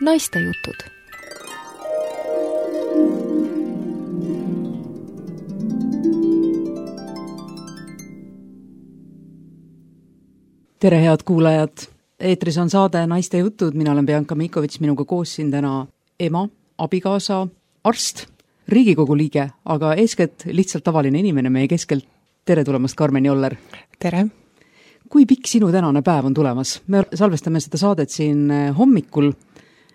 Naistejutud. Tere, head kuulajad! Eetris on saade Naistejutud, mina olen Bianca Mikovits, minuga koos siin täna ema, abikaasa, arst, Riigikogu liige, aga eeskätt lihtsalt tavaline inimene meie keskelt. Tere tulemast, Karmen Joller! Tere! Kui pikk sinu tänane päev on tulemas? Me salvestame seda saadet siin hommikul.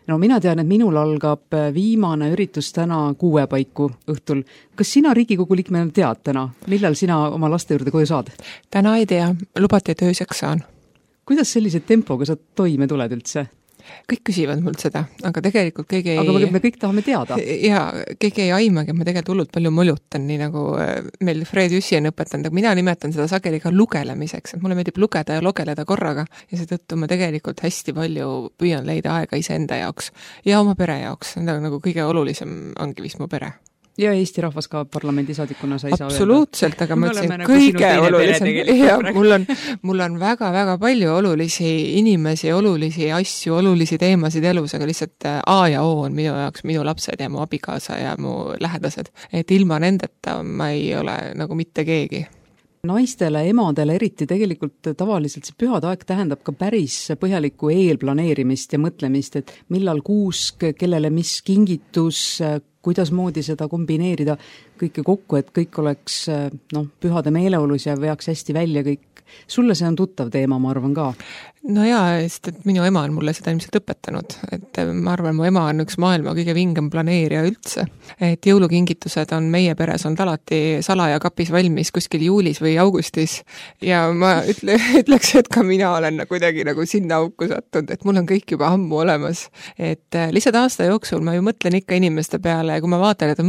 No mina tean, et minul algab viimane üritus täna 6 paiku õhtul. Kas sina Riigikogu liikmena tead täna, millal sina oma laste juurde koju saad? Täna ei tea, lubati, et ööseks saan. Kuidas sellise tempoga sa toime tuled üldse? Kõik küsivad mult seda, aga tegelikult keegi ei... Aga me kõik tahame teada. Ja keegi ei aimagi, et ma tegelikult hullult palju molutan, nii nagu meil Fred Jüssi on õpetanud, aga mina nimetan seda sageli ka lugelemiseks, et mulle meeldib lugeda ja logeleda korraga ja seetõttu ma tegelikult hästi palju püüan leida aega iseenda jaoks ja oma pere jaoks, nagu kõige olulisem ongi vist mu pere. Ja Eesti rahvas ka parlamendisaadikuna sa ei saa öelda. Absoluutselt, aga ma ütlesin kõige olulisem. Ja, mul on väga-väga palju olulisi inimesi, olulisi asju, olulisi teemasid elus, aga lihtsalt A ja O on minu jaoks minu lapsed ja mu abikaasa ja mu lähedased. Et ilma nendeta ma ei ole nagu mitte keegi. Naistele, emadele eriti tegelikult tavaliselt see pühade aeg tähendab ka päris põhjalikku eelplaneerimist ja mõtlemist, et millal kuusk, kellele mis kingitus, kuidas moodi seda kombineerida kõike kokku, et kõik oleks pühade meeleolus ja veaks hästi välja kõik. Sulle see on tuttav teema, ma arvan ka. No jaa, sest et minu ema on mulle seda ilmselt õpetanud, et ma arvan, mu ema on üks maailma kõige vingem planeerija üldse, et jõulukingitused on meie peres olnud alati salaja kapis valmis kuskil juulis või augustis ja ma ütleks, et ka mina olen kuidagi nagu sinna auku sattunud, et mul on kõik juba ammu olemas, et lihtsalt aasta jooksul ma ju mõtlen ikka inimeste peale ja kui ma vaatan, et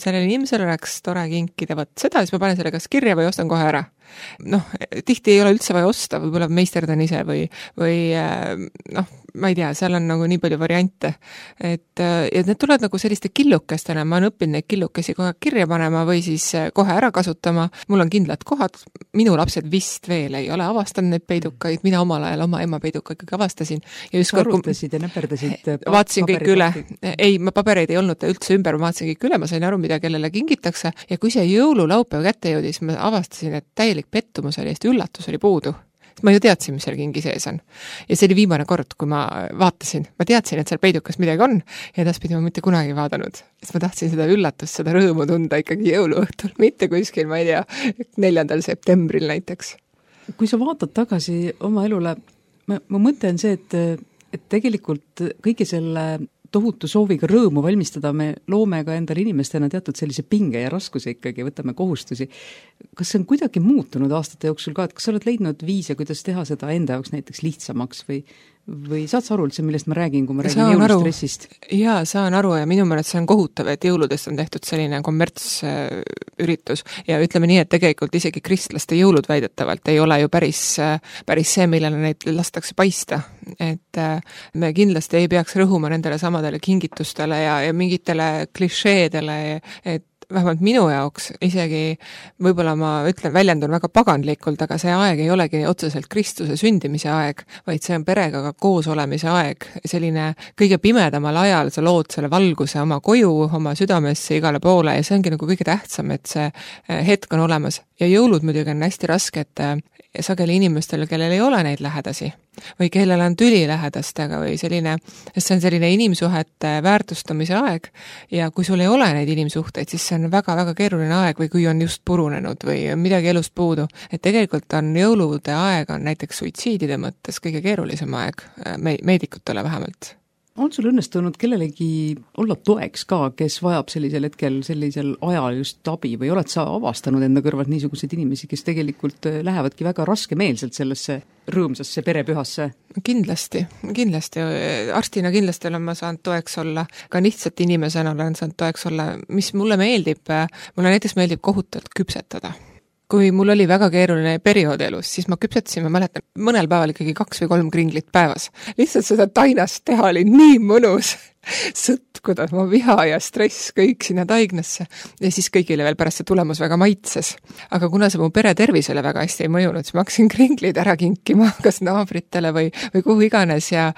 sellele inimesele oleks tore kinkida, võt seda, siis ma panen selle kas kirja või ostan kohe ära. Tihti ei ole üldse vaja osta, võib-olla meisterdan ise või ma ei tea, seal on nagu nii palju variante, et need tulevad nagu selliste killukestena, ma olen õppinud neid killukesi kohe kirja panema või siis kohe ära kasutama, mul on kindlad kohad, minu lapsed vist veel ei ole avastanud neid peidukaid, mina omal ajal oma ema peiduka ikkagi avastasin ja arutasid ja näperdasid vaatasin kõik üle, ei, ma pabereid ei olnud üldse ümber, ma vaatasin kõik üle, ma sain aru, mida kellele kingitakse ja kui see jõululaupäev kätte jõudis, ma avastasin, et täielik pettumus oli, Eesti üllatus oli puudu. Ma ju teadsin, mis seal kingi sees on. Ja see oli viimane kord, kui ma vaatasin. Ma teadsin, et seal peidukas midagi on ja edaspidi ma mitte kunagi vaadanud. Sest ma tahtsin seda üllatust, seda rõõmu tunda ikkagi jõuluõhtul, mitte kuskil, ma ei tea, 4. septembril näiteks. Kui sa vaatad tagasi oma elule, ma mõtlen see, et tegelikult kõige selle tohutu sooviga rõõmu valmistada, me loome ka endale inimestena teatud sellise pinge ja raskuse ikkagi, võtame kohustusi. Kas see on kuidagi muutunud aastate jooksul ka, et kas sa oled leidnud viise, kuidas teha seda enda jaoks näiteks lihtsamaks või saad sa aru üldse, millest ma räägin, kui ma räägin jõulustressist? Jaa, saan aru ja minu meelest see on kohutav, et jõuludest on tehtud selline kommertsüritus ja ütleme nii, et tegelikult isegi kristlaste jõulud väidetavalt ei ole ju päris see, millele neid lastakse paista. Et me kindlasti ei peaks rõhuma nendele samadele kingitustele ja mingitele klišeedele, et vähemalt minu jaoks isegi võib-olla ma väljendun väga paganlikult, aga see aeg ei olegi otseselt Kristuse sündimise aeg, vaid see on perega ka koos olemise aeg. Selline kõige pimedamal ajal sa lood selle valguse oma koju, oma südamesse igale poole ja see ongi nagu kõige tähtsam, et see hetk on olemas. Ja jõulud muidugi on hästi raske, et sageli inimestel, kellel ei ole neid lähedasi või kellel on tüli lähedastega või selline, see on selline inimsuhete väärtustamise aeg ja kui sul ei ole neid inimsuhteid, siis see on väga-väga keeruline aeg või kui on just purunenud või midagi elust puudu. Et tegelikult on jõulude aeg on näiteks suitsiidide mõttes kõige keerulisem aeg, meedikutele vähemalt. On sul õnnestunud kellelegi olla toeks ka, kes vajab sellisel hetkel, sellisel ajal just abi või oled sa avastanud enda kõrvalt niisuguseid inimesi, kes tegelikult lähevadki väga raskemeelselt sellesse rõõmsasse perepühasse? Kindlasti. Arstina kindlasti olen ma saanud toeks olla, ka lihtsalt inimesena olen saanud toeks olla, mis mulle näiteks meeldib kohutavalt küpsetada. Kui mul oli väga keeruline periood elus, siis ma küpsetasin, ma mäletan, mõnel päeval ikkagi 2 või 3 kringlit päevas. Lihtsalt seda tainast teha oli nii mõnus. sõtkuda, mu viha ja stress kõik sinna taignasse ja siis kõigile veel pärast see tulemus väga maitses. Aga kuna see mu pere tervisele väga hästi ei mõjunud, siis ma hakkasin kringlid ära kinkima kas naabritele või kuhu iganes ja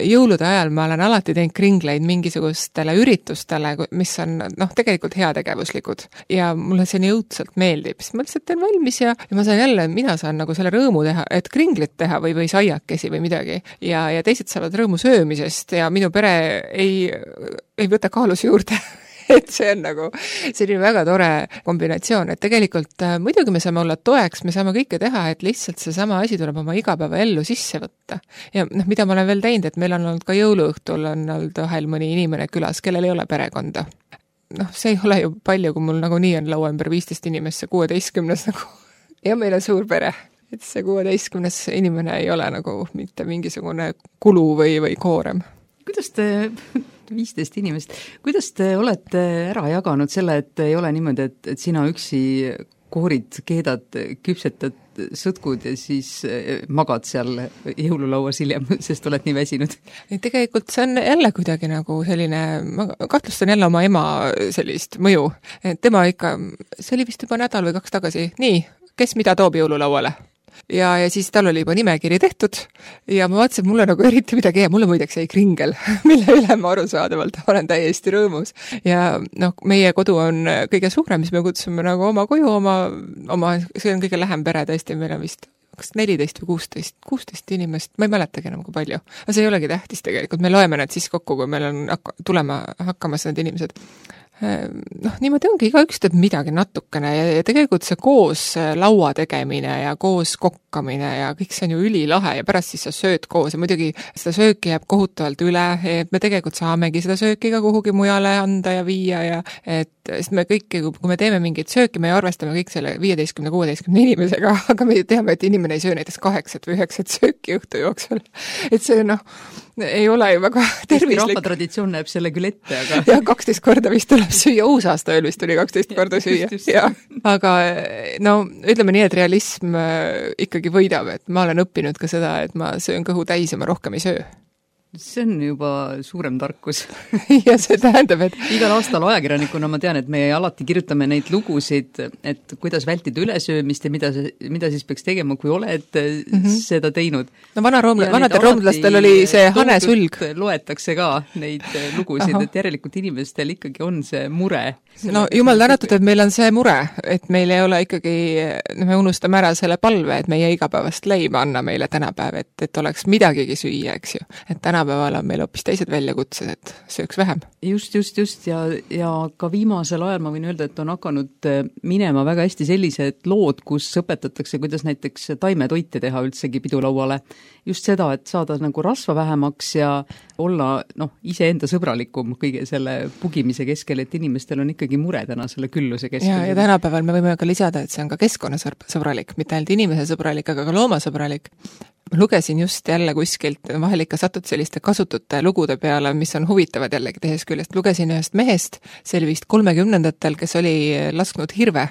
jõulude ajal ma olen alati teinud kringleid mingisugustele üritustele, mis on tegelikult heategevuslikud ja mulle see nii õudselt meeldib, siis ma lihtsalt teen valmis ja ma saan jälle, mina saan nagu selle rõõmu teha, et kringlit teha või saiakesi või midagi ja teised saavad rõõmu söömisest ja minu pere ei võta kaalus juurde et see on nagu selline väga tore kombinatsioon, et tegelikult muidugi me saame olla toeks, me saame kõike teha, et lihtsalt seesama asi tuleb oma igapäevaellu sisse võtta. Ja mida ma olen veel teinud, et meil on olnud ka jõuluõhtul on olnud vahel mõni inimene külas, kellel ei ole perekonda. See ei ole ju palju, kui mul nagu nii on laua ümber 15 inimest, see 16 nagu ja meil on suur pere. Et see 16 inimene ei ole nagu mitte mingisugune kulu või koorem. Kuidas te, 15 inimest, kuidas te olete ära jaganud selle, et ei ole niimoodi, et sina üksi koorid, keedad, küpsetad sõtkud ja siis magad seal jõululauas hiljem, sest oled nii väsinud? Tegelikult see on jälle kuidagi nagu selline, ma kahtlustan jälle oma ema sellist mõju. Tema ikka, see oli vist juba nädal või 2 tagasi, nii, kes mida toob jõululauale? Ja siis tal oli juba nimekiri tehtud ja ma vaatasin, et mulle nagu eriti midagi mulle muideks jäi kringel, mille üle ma arusaadavalt olen täiesti rõõmus. Ja meie kodu on kõige suurem, mis me kutsume nagu oma koju, oma see on kõige lähem pere tõesti, meil on vist 14 või 16 inimest, ma ei mäletagi enam kui palju. Aga see ei olegi tähtis tegelikult, me loeme need siis kokku, kui meil on tulema hakkamas need inimesed. Niimoodi ongi, igaüks teeb midagi natukene ja tegelikult see koos laua tegemine ja koos kokkamine ja kõik see on ju ülilahe ja pärast siis sa sööd koos ja muidugi seda sööki jääb kohutavalt üle, et me tegelikult saamegi seda sööki ka kuhugi mujale anda ja viia ja sest me kõik, kui me teeme mingit sööki, me arvestame kõik selle 15-16 inimesega, aga me teame, et inimene ei söö näiteks 8 või 9 sööki õhtu jooksul. Et see ei ole ju väga tervislik. Rahvatraditsioon näeb selle küll ette, aga... Ja 12 korda vist tuleb süüa, uusaasta ööl vist tuli 12 korda süüa. Ja. Aga ütleme nii, et realism ikkagi võidab, et ma olen õppinud ka seda, et ma söön kõhu täis ja ma rohkem ei söö. See on juba suurem tarkus. Ja see tähendab, et... Igal aastal ajakirjanikuna ma tean, et me alati kirjutame neid lugusid, et kuidas vältida ülesöömist ja mida siis peaks tegema, kui oled seda teinud. Vanadel roomlastel oli see hanesulg. Loetakse ka neid lugusid, et järelikult inimestel ikkagi on see mure. Jumal tänatud, et meil on see mure, et meil ei ole ikkagi, me unustame ära selle palve, et meie igapäevast leiba anna meile tänapäev, et oleks midagigi süüa, eks ju. Et tänapäeval on meil hoopis teised väljakutsed, et sööks vähem. Just ja ka viimasel ajal ma võin öelda, et on hakanud minema väga hästi sellised lood, kus õpetatakse, kuidas näiteks taimetoite teha üldsegi pidulauale. Just seda, et saada nagu rasva vähemaks ja olla iseenda sõbralikum kõige selle pugimise keskel, et inimestel on ikkagi mure täna selle külluse keskel. Ja tänapäeval me võime ka lisada, et see on ka keskkonnasõbralik, mitte ainult inimese sõbralik, aga ka loomasõbralik. Ma lugesin just jälle kuskilt, vahel ikka satud selliste kasutute lugude peale, mis on huvitavad jällegi tehes küljest. Lugesin ühest mehest, see oli vist 30-ndatel, kes oli lasknud hirve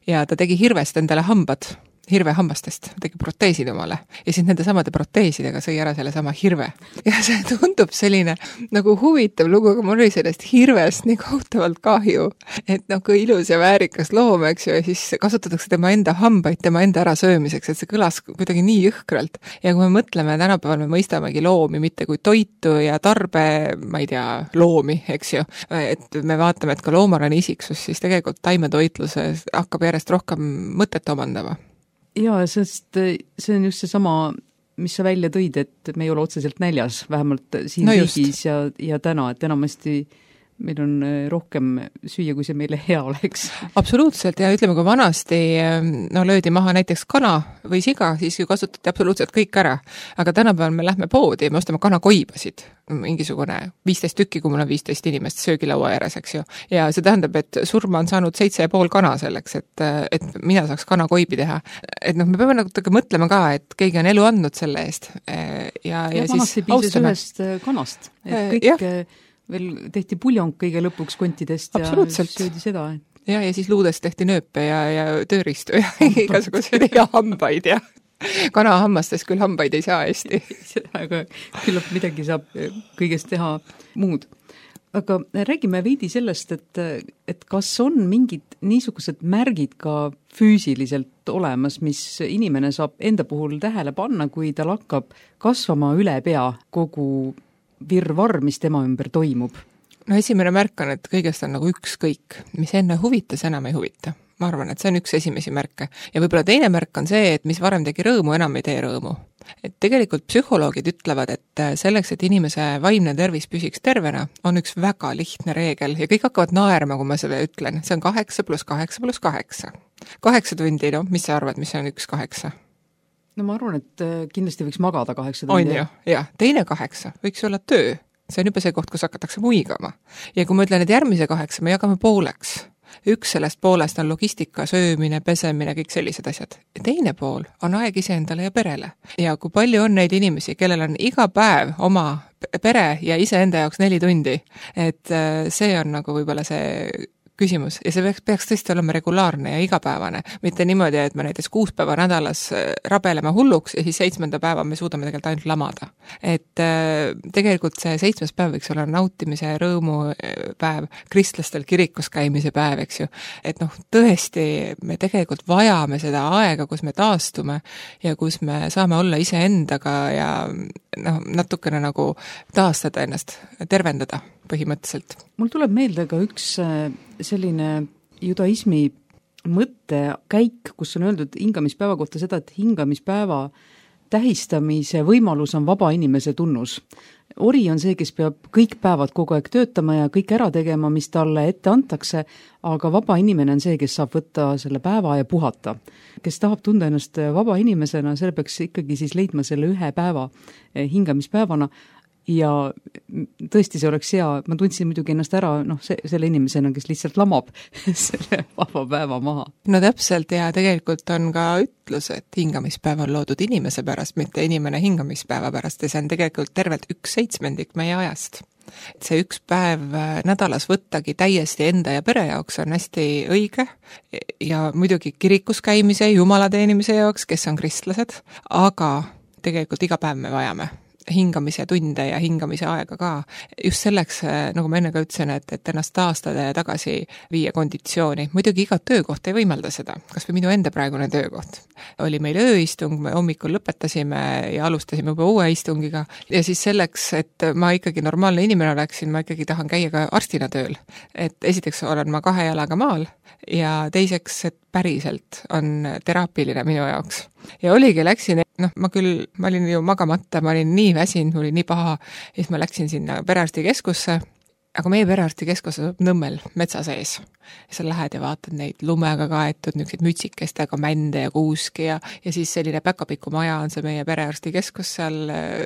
ja ta tegi hirvest endale hambad. Hirvehambastest, tegi proteesid omale ja siis nende samade proteesidega sõi ära selle sama hirve. Ja see tundub selline nagu huvitav lugu, aga mul oli sellest hirvest nii kohutavalt kahju, et kui ilus ja väärikas loom, eks ju, ja siis kasutatakse tema enda hambaid, tema enda ära söömiseks, et see kõlas kuidagi nii jõhkralt. Ja kui me mõtleme, tänapäeval me mõistamegi loomi mitte kui toitu ja tarbe, ma ei tea, loomi, eks ju, et me vaatame, et ka loomal on isiksus, siis tegelikult taimetoitluse hakkab järjest rohkem mõtet omandama. Jaa, sest see on just seesama, mis sa välja tõid, et me ei ole otseselt näljas, vähemalt siin riigis ja täna, et enamasti meil on rohkem süüa, kui see meile hea oleks. Absoluutselt, ja ütleme, kui vanasti löödi maha näiteks kana või siga, siis ju kasutati absoluutselt kõik ära. Aga tänapäeval me lähme poodi ja me ostame kanakoibasid, mingisugune 15 tükki, kui mul on 15 inimest söögilaua ääres, eks ju. Ja see tähendab, et surma on saanud 7,5 kana selleks, et mina saaks kanakoibi teha. Et me peame natuke mõtlema ka, et keegi on elu andnud selle eest. Ja siis austame. Ühest kanast, et kõik... Veel tehti puljong kõige lõpuks kontidest ja söödi seda. Ja siis luudest tehti nööpe ja tööristu ja igasugused ja hambaid ja Kanahammastes küll hambaid ei saa hästi. Aga küllap midagi saab kõigest teha muud. Aga räägime veidi sellest, et kas on mingid niisugused märgid ka füüsiliselt olemas, mis inimene saab enda puhul tähele panna, kui tal hakkab kasvama üle pea kogu virvarr, mis tema ümber toimub? No esimene märk on, et kõigest on nagu ükskõik, mis enne huvitas, enam ei huvita. Ma arvan, et see on üks esimesi märke. Ja võib-olla teine märk on see, et mis varem tegi rõõmu, enam ei tee rõõmu. Et tegelikult psühholoogid ütlevad, et selleks, et inimese vaimne tervis püsiks tervena, on üks väga lihtne reegel ja kõik hakkavad naerma, kui ma seda ütlen. See on 8 + 8 + 8. 8 tundi, no mis sa arvad, mis on 1/8? No ma arvan, et kindlasti võiks magada 8 tundi. On ju, jah. Teine 8 võiks olla töö. See on juba see koht, kus hakatakse muigama. Ja kui ma ütlen, et järgmise 8 me jagame pooleks, üks sellest poolest on logistika, söömine, pesemine, kõik sellised asjad. Ja teine pool on aeg iseendale ja perele. Ja kui palju on neid inimesi, kellel on iga päev oma pere ja iseenda jaoks 4 tundi, et see on nagu võib-olla see küsimus ja see peaks tõesti olema regulaarne ja igapäevane, mitte niimoodi, et me näiteks 6 päeva nädalas rabeleme hulluks ja siis 7. päeva me suudame tegelikult ainult lamada. Et tegelikult see 7. päev võiks olla nautimise ja rõõmu päev, kristlastel kirikus käimise päev, eks ju. Et noh, tõesti, me tegelikult vajame seda aega, kus me taastume ja kus me saame olla iseendaga ja noh, natukene nagu taastada ennast, tervendada põhimõtteliselt. Mul tuleb meelde ka üks selline judaismi mõttekäik, kus on öeldud hingamispäeva kohta seda, et hingamispäeva tähistamise võimalus on vaba inimese tunnus. Ori on see, kes peab kõik päevad kogu aeg töötama ja kõik ära tegema, mis talle ette antakse, aga vaba inimene on see, kes saab võtta selle päeva ja puhata. Kes tahab tunda ennast vaba inimesena, selle peaks ikkagi siis leidma selle ühe päeva hingamispäevana. Ja tõesti see oleks hea, ma tundsin muidugi ennast ära selle inimesena, kes lihtsalt lamab selle vaba päeva maha. No täpselt ja tegelikult on ka ütlus, et hingamispäev on loodud inimese pärast, mitte inimene hingamispäeva pärast ja see on tegelikult tervelt 1/7 meie ajast. Et see üks päev nädalas võttagi täiesti enda ja pere jaoks on hästi õige ja muidugi kirikus käimise, jumala teenimise jaoks, kes on kristlased, aga tegelikult iga päev me vajame hingamise tunde ja hingamise aega ka. Just selleks, nagu ma enne ka ütlesin, et ennast taastada ja tagasi viia konditsiooni. Muidugi iga töökoht ei võimalda seda, kas või minu enda praegune töökoht. Oli meil ööistung, me hommikul lõpetasime ja alustasime juba uue istungiga ja siis selleks, et ma ikkagi normaalne inimene oleksin, ma ikkagi tahan käia ka arstina tööl. Et esiteks olen ma 2 jalaga maal ja teiseks, et päriselt on teraapiline minu jaoks. Ja oligi, läksin, ma olin ju magamata, ma olin nii väsinud, mul oli nii paha, ja siis ma läksin sinna perearstikeskusse, aga meie perearstikeskus on Nõmmel metsa sees. Ja sa lähed ja vaatad neid lumega kaetud, niisugused mütsikestega mände ja kuuski ja siis selline päkapiku maja on see meie perearstikeskus seal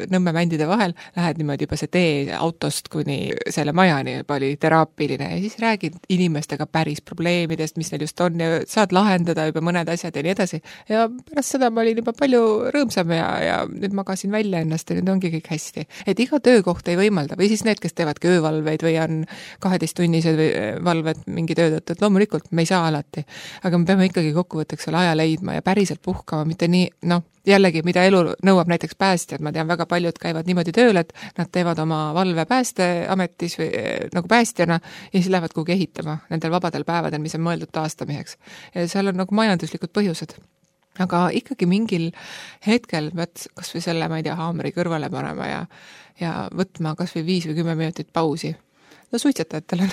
Nõmme mändide vahel. Lähed niimoodi juba see tee autost kuni selle majani juba oli teraapiline ja siis räägid inimestega päris probleemidest, mis neil just on ja saad lahendada juba mõned asjad ja nii edasi. Ja pärast seda ma olin juba palju rõõmsam ja nüüd magasin välja ennast ja nüüd ongi kõik hästi. Et iga töökoht ei võimalda või siis need, kes teevad öövalveid või on 12-tunnised valved mingi töö tõttu, et loomulikult me ei saa alati, aga me peame ikkagi kokkuvõtteks selle aja leidma ja päriselt puhkama, mitte nii, jällegi, mida elu nõuab näiteks päästjad, ma tean väga paljud käivad niimoodi tööl, et nad teevad oma valve päästeametis või nagu päästjana ja siis lähevad kuhugi ehitama nendel vabadel päevadel, mis on mõeldud taastamiseks. Ja seal on nagu majanduslikud põhjused. Aga ikkagi mingil hetkel pead kas või selle, ma ei tea, haamri kõrvale panema ja võtma kas või 5 või 10 minutit pausi. No suitsetajatel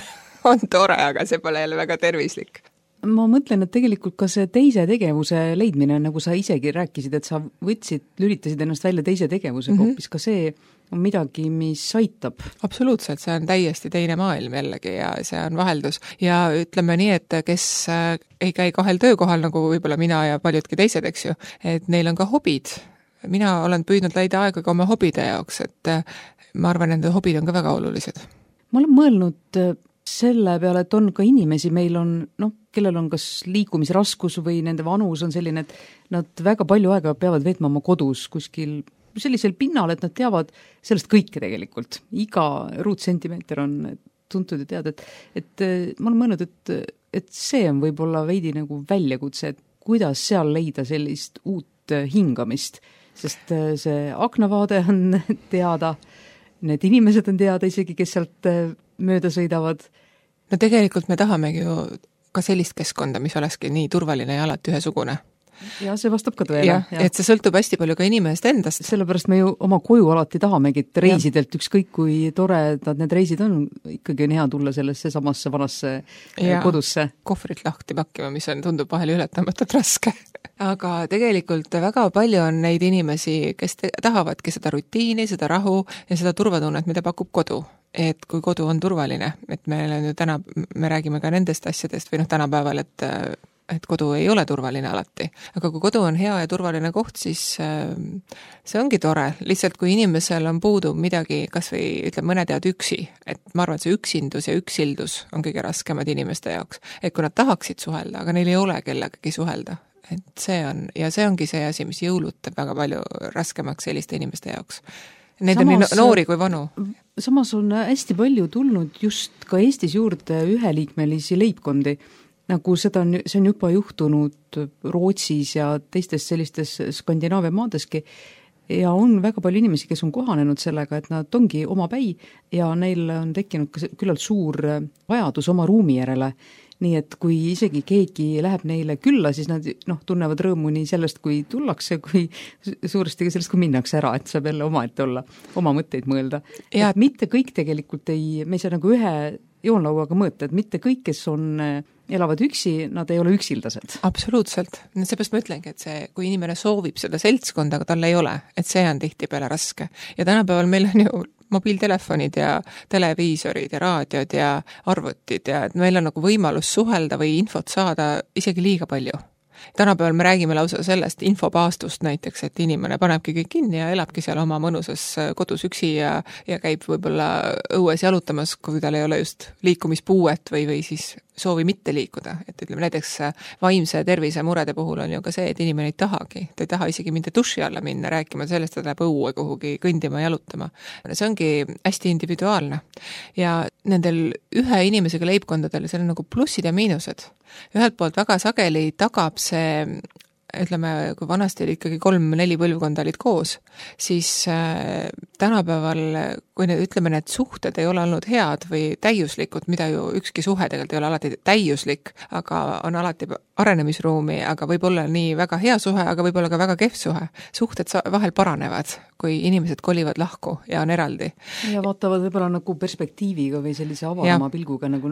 on tore, aga see pole jälle väga tervislik. Ma mõtlen, et tegelikult ka see teise tegevuse leidmine, nagu sa isegi rääkisid, et sa lülitasid ennast välja teise tegevusega, hoopis ka see on midagi, mis aitab. Absoluutselt, see on täiesti teine maailm jällegi ja see on vaheldus. Ja ütleme nii, et kes ei käi 2 töökohal, nagu võib-olla mina ja paljudki teised, eks ju, et neil on ka hobid. Mina olen püüdnud leida aega ka oma hobide jaoks, et ma arvan, et need hobid on ka väga olulised. Ma olen mõelnud selle peale, et on ka inimesi, meil on, kellel on kas liikumisraskus või nende vanus on selline, et nad väga palju aega peavad veetma oma kodus kuskil sellisel pinnal, et nad teavad sellest kõike tegelikult. Iga ruutsentimeeter on tuntud ja teada, et ma olen mõelnud, et see on võib-olla veidi nagu väljakutse, et kuidas seal leida sellist uut uut hingamist, sest see aknavaade on teada, need inimesed on teada isegi, kes sealt mööda sõidavad. No tegelikult me tahamegi ju ka sellist keskkonda, mis olekski nii turvaline ja alati ühesugune. Ja see vastab ka tõele. Ja, et see sõltub hästi palju ka inimesest endast. Sellepärast me ju oma koju alati tahamegi, et reisidelt ükskõik kui toredad need reisid on, ikkagi on hea tulla sellesse samasse vanasse kodusse. Kohvrit lahti pakkima, mis tundub vahel ületamatult raske. Aga tegelikult väga palju on neid inimesi, kes tahavadki seda rutiini, seda rahu ja seda turvatunnet, mida pakub kodu. Et kui kodu on turvaline, et me räägime ka nendest asjadest või tänapäeval, et kodu ei ole turvaline alati. Aga kui kodu on hea ja turvaline koht, siis see ongi tore. Lihtsalt kui inimesel on puudu midagi, kas või mõned jäävad üksi, et ma arvan, et see üksindus ja üksildus on kõige raskemad inimeste jaoks. Et kui nad tahaksid suhelda, aga neil ei ole kellegagi suhelda. Et see ongi see asi, mis jõulud teeb väga palju raskemaks selliste inimeste jaoks. Neid on nii noori kui vanu. Samas on hästi palju tulnud just ka Eestis juurde üheliikmelisi leibkondi, nagu see on juba juhtunud Rootsis ja teistes sellistes Skandinaavia maadeski ja on väga palju inimesi, kes on kohanenud sellega, et nad ongi omapäi ja neil on tekkinud ka küllalt suur vajadus oma ruumi järele. Nii et kui isegi keegi läheb neile külla, siis nad tunnevad rõõmu nii sellest, kui tullakse, kui suuresti sellest, kui minnakse ära, et saab jälle omaette olla, oma mõtteid mõelda. Ja et mitte kõik tegelikult me ei saa nagu ühe joonlauaga mõõta, et mitte kõik, kes elavad üksi, nad ei ole üksildased. Absoluutselt. Seepärast ma ütlengi, et kui inimene soovib seda seltskonda, aga tal ei ole, et see on tihtipeale raske. Ja tänapäeval meil on ju mobiiltelefonid ja televiisorid ja raadiod ja arvutid ja et meil on nagu võimalus suhelda või infot saada isegi liiga palju. Tänapäeval me räägime lausa sellest infopaastust näiteks, et inimene panebki kõik kinni ja elabki seal oma mõnusas kodus üksi ja käib võib-olla õues jalutamas, kui tal ei ole just liikumispuuet või siis soovi mitte liikuda. Et näiteks vaimse tervise murede puhul on ju ka see, et inimene ei tahagi. Ta ei taha isegi mitte duši alla minna, rääkima sellest, et läheb õue kuhugi kõndima ja jalutama. See ongi hästi individuaalne. Ja nendel ühe inimesega leibkondadel seal on nagu plussid ja miinused. Ühelt poolt väga sageli tagab see, kui vanasti oli ikkagi 3-4 põlvkonda olid koos, siis tänapäeval, kui need suhted ei ole olnud head või täiuslikud, mida ju ükski suhe tegelikult ei ole alati täiuslik, aga on alati arenemisruumi, aga võib olla nii väga hea suhe, aga võib olla ka väga kehv suhe. Suhted vahel paranevad, kui inimesed kolivad lahku ja on eraldi. Ja vaatavad võib-olla nagu perspektiiviga või sellise avarama pilguga nagu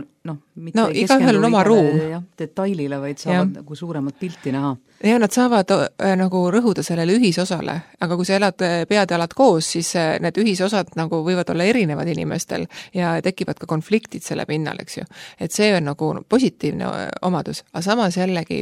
mitte igaühel on oma ruum. Detailile, vaid saavad nagu suuremat pilti näha. Ja nad saavad nagu rõhuda sellele ühisosale, aga kui sa elad pead ja alad koos, siis need ühisosad nagu võivad olla erinevad inimestel ja tekivad ka konfliktid selle pinnal, eks ju. Et see on nagu positiivne omadus, aga samas jällegi,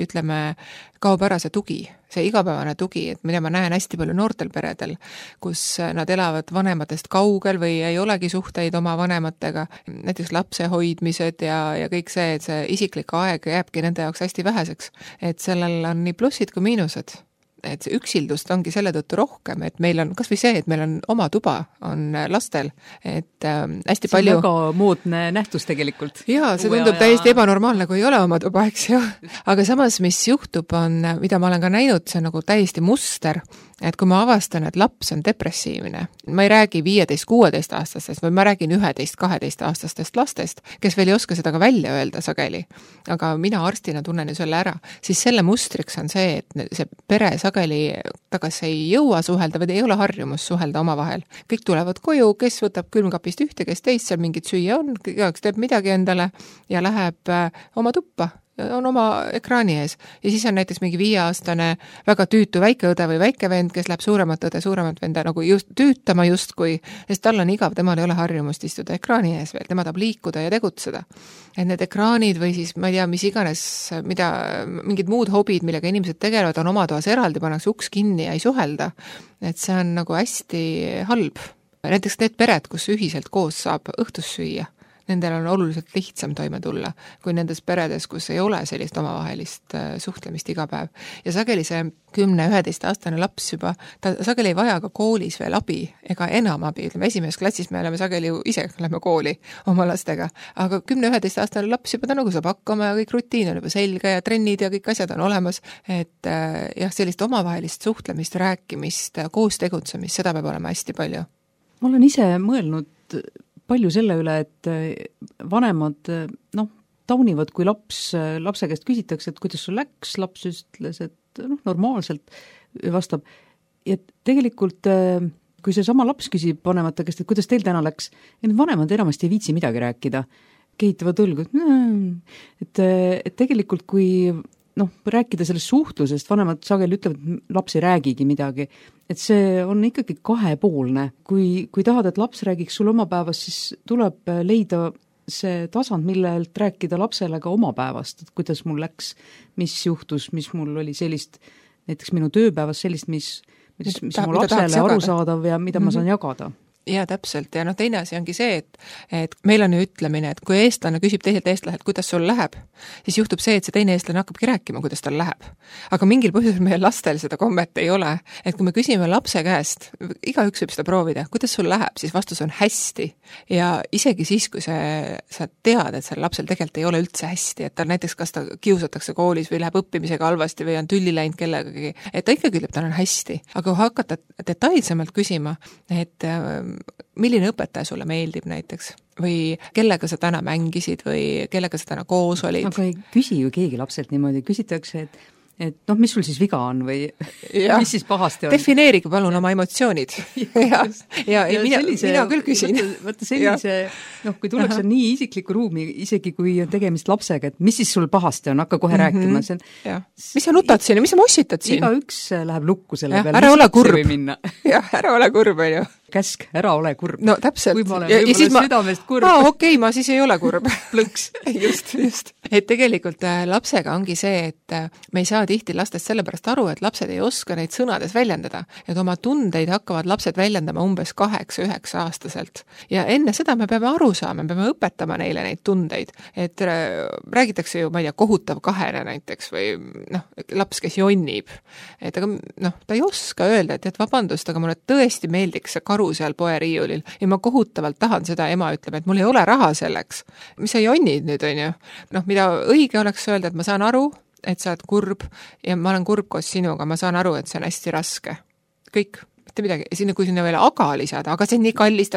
kaob ära see tugi, see igapäevane tugi, et mida ma näen hästi palju noortel peredel, kus nad elavad vanematest kaugel või ei olegi suhteid oma vanematega, näiteks lapse hoidmised ja kõik see, et see isiklik aeg jääbki nende jaoks hästi väheseks, et sellel on nii plussid kui miinused. Et see üksildust ongi selle tõttu rohkem, et meil on, kas või see, et meil on oma tuba, on lastel, et hästi palju... See on väga moodne nähtus tegelikult. Jaa, see tundub täiesti ebanormaalne, kui ei ole oma tuba, eks ju. Aga samas, mis juhtub on, mida ma olen ka näinud, see on nagu täiesti muster, et kui ma avastan, et laps on depressiivne, ma ei räägi 15-16 aastastest, või ma räägin 11-12 aastastest lastest, kes veel ei oska seda ka välja öelda sageli, aga mina arstina tunnen ju selle ära, siis selle mustriks on see, et see pere sageli tagasi ei jõua suhelda või ei ole harjumus suhelda omavahel. Kõik tulevad koju, kes võtab külmkapist ühte, kes teist, seal mingit süüa on, kes teeb midagi endale ja läheb oma tuppa. On oma ekraani ees. Ja siis on näiteks mingi 5-aastane väga tüütu väikeõde või väikevend, kes läheb suuremat õde, suuremat venda nagu just tüütama justkui, sest tal on igav, temal ei ole harjumust istuda ekraani ees veel, tema tahab liikuda ja tegutseda. Et need ekraanid või siis, ma ei tea, mis iganes, mingid muud hobid, millega inimesed tegelevad, on oma toas eraldi, pannakse uks kinni ja ei suhelda. Et see on nagu hästi halb. Näiteks need pered, kus ühiselt koos saab õhtus süüa. nendel on oluliselt lihtsam toime tulla, kui nendes peredes, kus ei ole sellist omavahelist suhtlemist iga päev. Ja sageli see 10-11-aastane laps juba, ta sageli ei vaja ka koolis veel abi ega enam abi, ütleme esimeses klassis me oleme sageli ju ise lähme kooli oma lastega, aga 10-11-aastane laps juba ta nagu saab hakkama ja kõik rutiin on juba selge ja trennid ja kõik asjad on olemas, et jah, sellist omavahelist suhtlemist, rääkimist, koos tegutsemist, seda peab olema hästi palju. Ma olen ise mõelnud palju selle üle, et vanemad, taunivad, kui lapse käest küsitakse, et kuidas sul läks, laps ütles, et normaalselt vastab. Ja tegelikult, kui see sama laps küsib vanemate käest, et kuidas teil täna läks, ja need vanemad enamasti ei viitsi midagi rääkida, kehitavad õlgu, et tegelikult kui rääkida sellest suhtlusest, vanemad sageli ütlevad, et laps ei räägigi midagi, et see on ikkagi kahepoolne. Kui tahad, et laps räägiks sul oma päevast, siis tuleb leida see tasand, millelt rääkida lapsele ka oma päevast, et kuidas mul läks, mis juhtus, mis mul oli sellist, näiteks minu tööpäevas sellist, mis mu lapsele arusaadav ja mida ma saan jagada. Ja täpselt, ja teine asi ongi see, et meil on ju ütlemine, et kui eestlane küsib teiselt eestlaselt, kuidas sul läheb, siis juhtub see, et see teine eestlane hakkabki rääkima, kuidas tal läheb. Aga mingil põhjusel meie lastel seda kommet ei ole, et kui me küsime lapse käest, igaüks võib seda proovida, kuidas sul läheb, siis vastus on hästi. Ja isegi siis, kui sa tead, et seal lapsel tegelikult ei ole üldse hästi, et ta näiteks kas ta kiusatakse koolis või läheb õppimisega halvasti või on tülli läinud kellegagi, et ta ikkagi ütleb, tal on hästi. Aga kui hakata detailsemalt küsima, et milline õpetaja sulle meeldib näiteks või kellega sa täna mängisid või kellega sa täna koos olid. Aga ei küsi ju keegi lapselt niimoodi, küsitakse, et mis sul siis viga on või mis siis pahasti on? Defineerige palun oma emotsioonid. ja mina küll küsin. Võtta sellise, kui tullakse nii isikliku ruumi, isegi kui on tegemist lapsega, et mis siis sul pahasti on, hakka kohe rääkima. Mis sa nutad siin ja mis sa mossitad siin? Iga üks läheb lukku selle peale. Ära ole kurb. Ära ole kurb, on ju. Käsk, ära ole kurb. No täpselt. Kui ma olen võib-olla südamest kurb. Okei, ma siis ei ole kurb. Plõks. Just. Et tegelikult lapsega ongi see, et me ei saa tihti lastest sellepärast aru, et lapsed ei oska neid sõnades väljendada. Et oma tundeid hakkavad lapsed väljendama umbes 8-9 aastaselt. Ja enne seda me peame aru saama, me peame õpetama neile neid tundeid. Et räägitakse ju, ma ei tea, kohutav kahene näiteks või laps, kes jonnib. Et aga ta ei oska öelda, et vabandust, aga mulle tõesti meeldiks see karu seal poeriiulil ja ma kohutavalt tahan seda, ema ütleb, et mul ei ole raha selleks. Mis sa jonnid nüüd, on ju? Mida õige oleks öelda, et ma saan aru, et sa oled kurb ja ma olen kurb koos sinuga, ma saan aru, et see on hästi raske. Kõik, mitte midagi. Ja kui sinna veel aga lisada, aga see on nii kallis,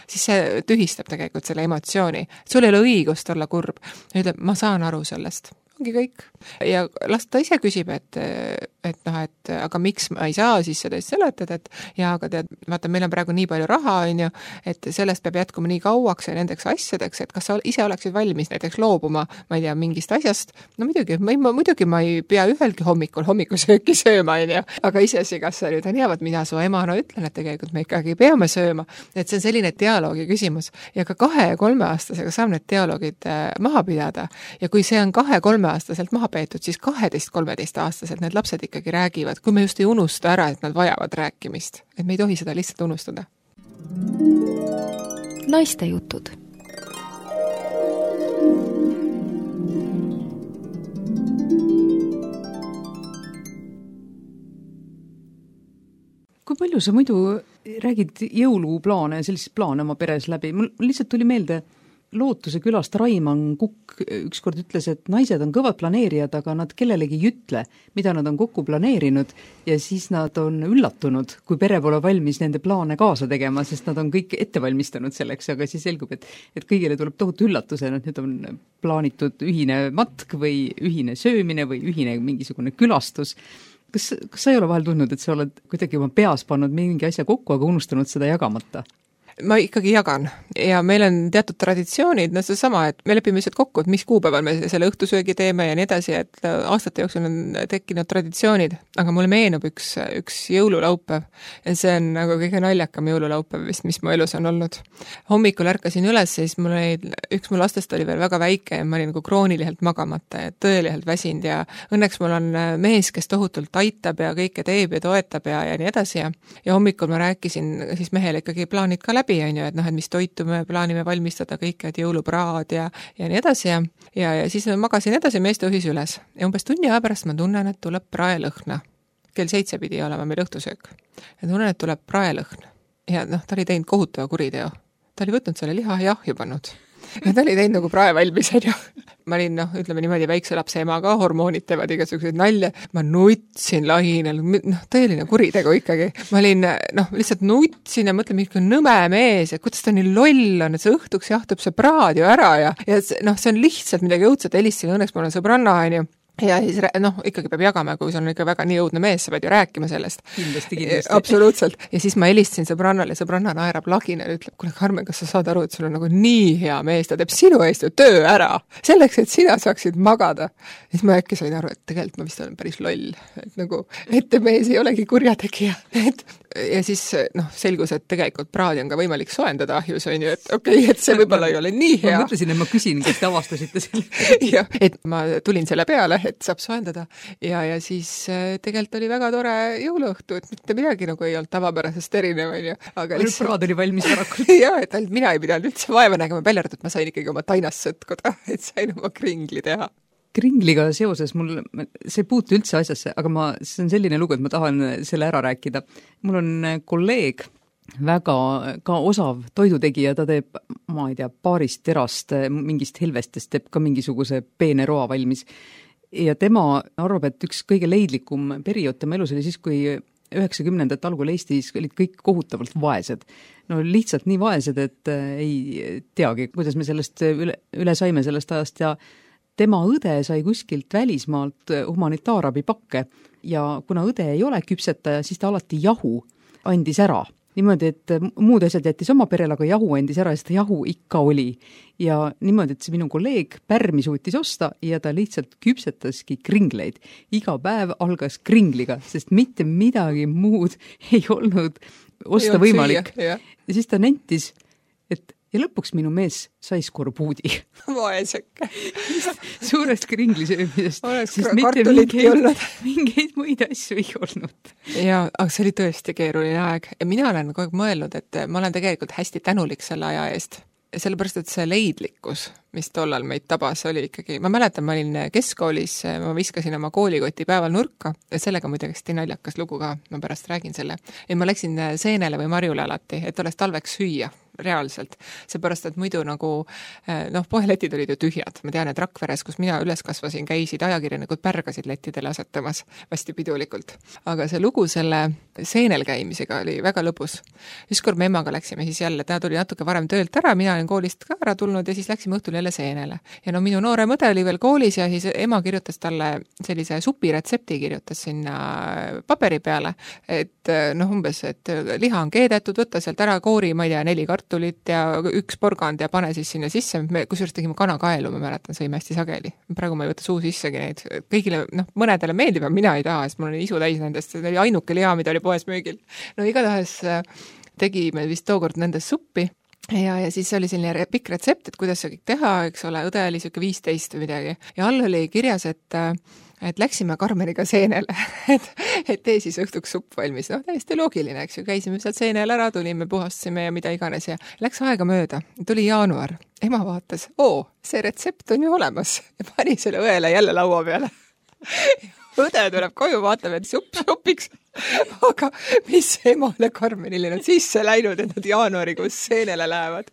siis see tühistab tegelikult selle emotsiooni. Sul ei ole õigust olla kurb. Ja ütleb, ma saan aru sellest. Ongi kõik. Ja las ta ise küsib, et aga miks ma ei saa siis seda seletada, aga tead, vaata, meil on praegu nii palju raha, on ju, et sellest peab jätkuma nii kauaks ja nendeks asjadeks, et kas sa ise oleksid valmis näiteks loobuma, ma ei tea, mingist asjast, muidugi ma ei pea ühelgi hommikusööki sööma, on ju, aga iseasi, kas sa nüüd on hea, mina su emana ütlen, et tegelikult me ikkagi peame sööma, et see on selline dialoogi küsimus ja ka 2- ja 3-aastasega saab need dialoogid maha pidada ja kui see on 2-3-aastaselt maha peetud, siis 12-13-aastaselt need lapsed ikkagi räägivad, kui me just ei unusta ära, et nad vajavad rääkimist. Et me ei tohi seda lihtsalt unustada. Naiste jutud. Kui palju sa muidu räägid jõuluplaane ja selliseid plaane oma peres läbi? Mul lihtsalt tuli meelde Lootuse külast Raimann Kukk ükskord ütles, et naised on kõvad planeerijad, aga nad kellelegi ei ütle, mida nad on kokku planeerinud ja siis nad on üllatunud, kui pere pole valmis nende plaane kaasa tegema, sest nad on kõik ette valmistanud selleks, aga siis selgub, et kõigile tuleb tohutu üllatusena, et nüüd on plaanitud ühine matk või ühine söömine või ühine mingisugune külastus. Kas sa ei ole vahel tundnud, et sa oled kuidagi oma peas pannud mingi asja kokku, aga unustanud seda jagamata? Ma ikkagi jagan ja meil on teatud traditsioonid, see sama, et me lepime lihtsalt kokku, et mis kuupäeval me selle õhtusöögi teeme ja nii edasi, et aastate jooksul on tekkinud traditsioonid, aga mulle meenub üks jõululaupäev ja see on nagu kõige naljakam jõululaupäev vist, mis mu elus on olnud. Hommikul ärkasin üles, siis üks mu lastest oli veel väga väike ja ma olin nagu krooniliselt magamata ja tõeliselt väsinud ja õnneks mul on mees, kes tohutult aitab ja kõike teeb ja toetab ja nii edasi ja hommikul ma rääkisin siis mehele ikkagi plaanid ka läbi läbi, on ju, et noh, et mis toitu me plaanime valmistada, kõik, et jõulupraad ja nii edasi ja siis magasin edasi, mees tõusis üles. Ja umbes tunni aja pärast ma tunnen, et tuleb praelõhna. Kell 7 pidi olema meil õhtusöök. Ja tunnen, et tuleb praelõhn. Ja noh, ta oli teinud kohutava kuriteo. Ta oli võtnud selle liha ja ahju pannud. Ja ta oli teinud nagu prae valmis, on ju. Ma olin, noh, ütleme niimoodi, väikse lapse ema ka, hormoonid teevad igasuguseid nalja. Ma nutsin lahinel, noh, tõeline kuritegu ikkagi. Ma olin, noh, lihtsalt nutsin ja mõtlen, milline nõme mees ja kuidas ta nii loll on, et see õhtuks jahtub see praad ju ära ja noh, see on lihtsalt midagi õudset, helistasin, õnneks mul on sõbranna, on ju. Ja siis, noh, ikkagi peab jagama, kui see on ikka väga nii õudne mees, sa pead ju rääkima sellest. Kindlasti. Absoluutselt. Ja siis ma helistasin sõbrannale ja sõbranna naerab lagina ja ütleb, kuule Karmen, kas sa saad aru, et sul on nagu nii hea mees, ta teeb sinu eest ju töö ära, selleks, et sina saaksid magada. Ja siis ma äkki sain aru, et tegelikult ma vist olen päris loll, et nagu ettemees ei olegi kurjategija. Ja siis, noh, selgus, et tegelikult praadi on ka võimalik soendada ahjus, on ju, et okei, et see võib-olla ei ole nii hea. Ma mõtlesin, et ma küsin, kas te avastasite selle. Ja, et ma tulin selle peale, et saab soendada ja siis tegelikult oli väga tore jõuluõhtu, et mitte midagi nagu ei olnud tavapärasest erinev, on ju. Aga lihtsalt praad oli valmis varakult. Ja, et mina ei pidanud üldse vaeva nägema, välja arvatud, et ma sain ikkagi oma tainast sõtkuda, et sain oma kringli teha. Kringliga seoses mul, see ei puutu üldse asjasse, aga see on selline lugu, et ma tahan selle ära rääkida. Mul on kolleeg, väga ka osav toidutegija, ta teeb, ma ei tea, paarist terast, mingist helvestest teeb ka mingisuguse peene roa valmis. Ja tema arvab, et üks kõige leidlikum periood tema elus oli siis, kui 90. algul Eestis olid kõik kohutavalt vaesed. No lihtsalt nii vaesed, et ei teagi, kuidas me sellest üle saime sellest ajast ja tema õde sai kuskilt välismaalt humanitaarabi pakke ja kuna õde ei ole küpsetaja, siis ta alati jahu andis ära. Niimoodi, et muud asjad jättis oma perele, aga jahu andis ära ja seda jahu ikka oli. Ja niimoodi, et see minu kolleeg pärmi suutis osta ja ta lihtsalt küpsetaski kringleid. Iga päev algas kringliga, sest mitte midagi muud ei olnud osta võimalik. Ja siis ta nentis, et ja lõpuks minu mees sai skorbuudi. Vaeseke. Suurest kringlisöömisest. Oleks kartulitki olnud. Mingeid muid asju ei olnud. Ja, aga see oli tõesti keeruline aeg. Ja mina olen kogu aeg mõelnud, et ma olen tegelikult hästi tänulik selle aja eest. Sellepärast, et see leidlikkus, mis tollal meid tabas, oli ikkagi, ma mäletan, ma olin keskkoolis, ma viskasin oma koolikoti päeval nurka ja sellega muidugi hästi naljakas lugu ka, ma pärast räägin selle. Ja ma läksin seenele või marjule alati, et oleks talveks süüa reaalselt. Seepärast, et muidu nagu, noh, poeletid olid ju tühjad. Ma tean, et Rakveres, kus mina üles kasvasin, käisid ajakirjanikud pärgasid lettidele asetamas hästi pidulikult. Aga see lugu selle seenel käimisega oli väga lõbus. Ükskord me emaga läksime siis jälle, ta tuli natuke varem töölt ära, mina olin koolist ka ära tulnud ja siis läksime õhtul jälle seenele. Ja no minu noore mõde oli veel koolis ja siis ema kirjutas talle sellise supiretsepti, kirjutas sinna paberi peale, et noh, umbes, et liha on keedetud, võtta sealt ära koori, ma ei tea, 4 kartulit ja 1 porgand ja pane siis sinna sisse. Me kusjuures tegime kanakaelu, ma mäletan, sõime hästi sageli. Praegu ma ei võta suu sissegi neid. Kõigile, noh, mõnedele meeldib, aga mina ei taha, sest mul oli isu täis nendest. See oli ainuke liha, mida oli poes müügil. No igatahes tegime vist tookord nendest suppi. Ja siis oli selline pikk retsept, et kuidas see kõik teha, eks ole, õde oli siuke 15 või midagi. Ja all oli kirjas, et läksime Karmeniga seenele, et tee siis õhtuks supp valmis. No täiesti loogiline, eks ju, käisime sealt seenel ära, tulime, puhastasime ja mida iganes ja läks aega mööda. Tuli jaanuar. Ema vaatas, see retsept on ju olemas ja pani selle õele jälle laua peale. Õde tuleb koju, vaatab, et supiks. Aga mis emale Karmenile on sisse läinud, et nad jaanuarikuus seenele lähevad.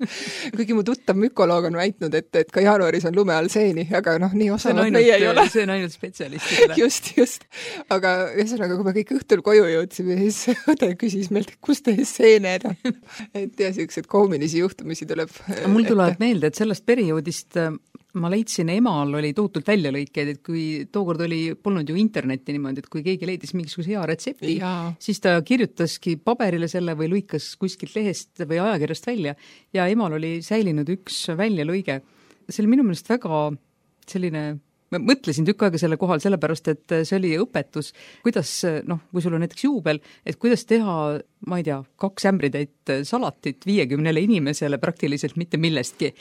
Kuigi mu tuttav mükoloog on väitnud, et ka jaanuaris on lume all seeni, aga noh, nii osanud meie ei ole. See on ainult spetsialistidele. Just. Aga ühesõnaga, kui me kõik õhtul koju jõudsime, siis õde küsis meilt, kus teie seened on. Et ja sellised koomilisi juhtumisi tuleb. Mul tuleb meelde, et sellest perioodist ma leidsin, emal oli tohutult väljalõikeid, et kui tookord polnud ju internetti niimoodi, et kui keegi leidis mingisuguse hea retsepti, siis ta kirjutaski paberile selle või lõikas kuskilt lehest või ajakirjast välja ja emal oli säilinud üks väljalõige. See oli minu meelest väga selline, ma mõtlesin tükk aega selle kohal, sellepärast et see oli õpetus, kuidas, noh, kui sul on näiteks juubel, et kuidas teha ma ei tea, 2 ämbritäit salatit 50 inimesele praktiliselt mitte millestki.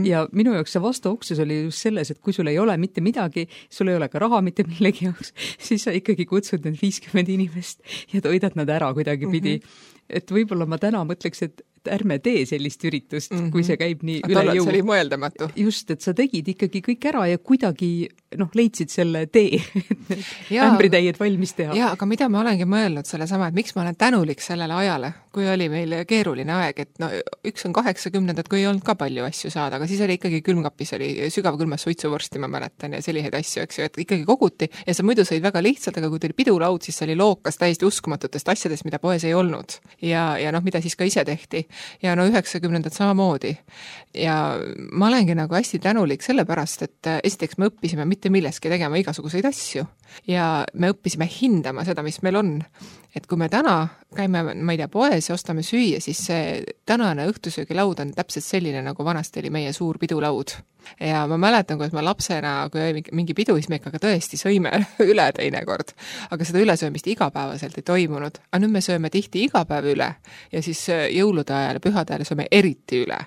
Ja minu jaoks see vastuoksus oli just selles, et kui sul ei ole mitte midagi, sul ei ole ka raha mitte millegi jaoks, siis sa ikkagi kutsud need 50 inimest ja toidad nad ära kuidagipidi. Et võib-olla ma täna mõtleks, et ärme tee sellist üritust, kui see käib nii üle jõu. See oli mõeldamatu. Just, et sa tegid ikkagi kõik ära ja kuidagi leidsid selle tee, et ämbritäied valmis teha. Jaa, aga mida ma olengi mõelnud selle sama, et miks ma olen tänulik sellele ajale, kui oli meil keeruline aeg, et üks on 80-ndad, kui ei olnud ka palju asju saada, aga siis oli ikkagi külmkapis, oli sügavkülmas suitsuvorsti, ma mäletan, ja selliseid asju, eks ju, et ikkagi koguti ja sa muidu sõid väga lihtsalt, aga kui tuli pidulaud, siis see oli lookas täiesti uskumatutest asjadest, mida poes ei olnud. Ja mida siis ka ise tehti. Ja 90-ndad samamoodi. Ja ma olengi nagu hästi tänulik sellepärast, et esiteks me õppisime mitte milleski tegema igasuguseid asju ja me õppisime hindama seda, mis meil on. Et kui me täna käime, ma ei tea, poes ja ostame süüa, siis see tänane õhtusöögilaud on täpselt selline, nagu vanasti oli meie suur pidulaud. Ja ma mäletan, kuidas ma lapsena, kui oli mingi pidu, siis me ikka tõesti sõime üle teinekord. Aga seda ülesöömist igapäevaselt ei toimunud. Aga nüüd me sööme tihti iga päev üle ja siis jõulude ajal ja pühade ajal sööme eriti üle.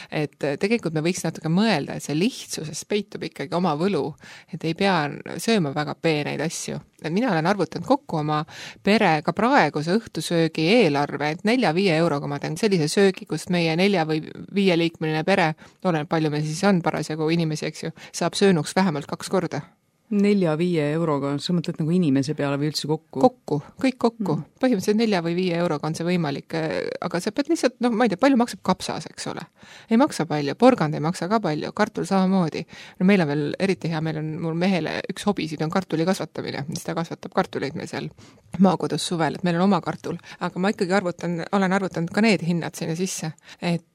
Et tegelikult me võiks natuke mõelda, et see lihtsuses peitub ikkagi oma võlu, et ei pea sööma väga peeneid asju. Mina olen arvutanud kokku oma pere ka praeguse õhtusöögi eelarve, et 4-5 euroga ma teen sellise söögi, kust meie 4 või 5 liikmeline pere, olen palju me siis on parasjagu inimesi, eks ju, saab söönuks vähemalt 2 korda. 4-5 euroga, sa mõtled nagu inimese peale või üldse kokku? Kokku, kõik kokku. Põhimõtteliselt 4 või 5 euroga on see võimalik, aga sa pead lihtsalt, ma ei tea, palju maksab kapsas, eks ole. Ei maksa palju, porgand ei maksa ka palju, kartul samamoodi. Meil on veel eriti hea, mul mehele üks hobisid on kartuli kasvatamine, mis ta kasvatab kartuleid meil seal maakodus suvel, et meil on oma kartul. Aga ma ikkagi olen arvutanud ka need hinnad sinna sisse, et